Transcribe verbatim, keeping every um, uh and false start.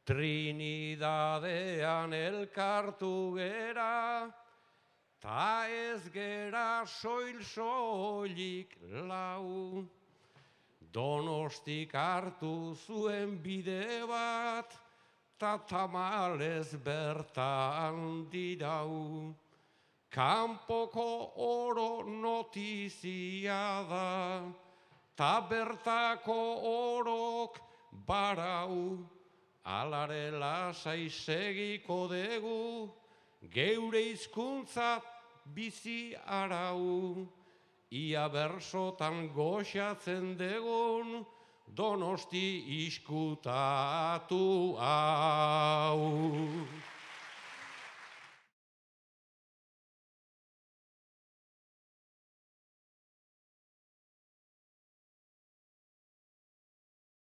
Trinidadean elkartu gera, ta ez gera soil-soilik lau. Donostik hartu zuen bide bat, ta tamalez bertan dirau. Kanpoko oro notizia da, ta bertako orok barau. Alare lasai segiko dugu, geure hizkuntza bizi arau. Ia bersotan goxatzen degun, Donosti iskutatu hau.